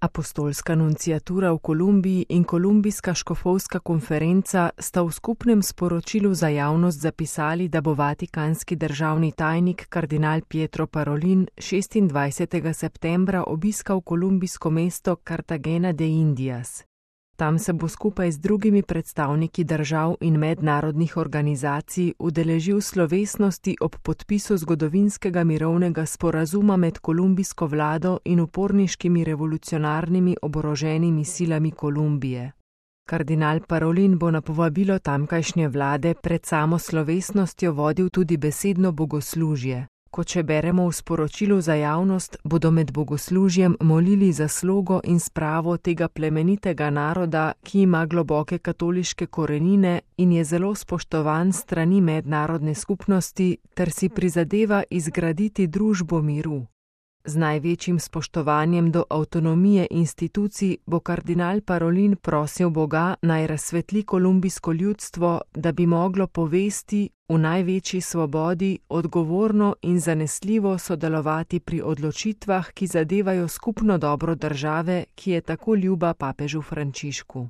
Apostolska nunciatura v Kolumbiji in Kolumbijska škofovska konferenca sta v skupnem sporočilu za javnost zapisali, da bo vatikanski državni tajnik kardinal Pietro Parolin 26. septembra obiskal kolumbijsko mesto Cartagena de Indias. Tam se bo skupaj z drugimi predstavniki držav in mednarodnih organizacij udeležil slovesnosti ob podpisu zgodovinskega mirovnega sporazuma med kolumbijsko vlado in uporniškimi revolucionarnimi oboroženimi silami Kolumbije. Kardinal Parolin bo na povabilo tamkajšnje vlade pred samo slovesnostjo vodil tudi besedno bogoslužje. Kot še beremo v sporočilu za javnost, bodo med bogoslužjem molili za slogo in spravo tega plemenitega naroda, ki ima globoke katoliške korenine in je zelo spoštovan s strani mednarodne skupnosti ter si prizadeva izgraditi družbo miru. Z največjim spoštovanjem do avtonomije institucij bo kardinal Parolin prosil Boga, naj razsvetli kolumbijsko ljudstvo, da bi moglo povesti v največji svobodi, odgovorno in zanesljivo sodelovati pri odločitvah, ki zadevajo skupno dobro države, ki je tako ljuba papežu Frančišku.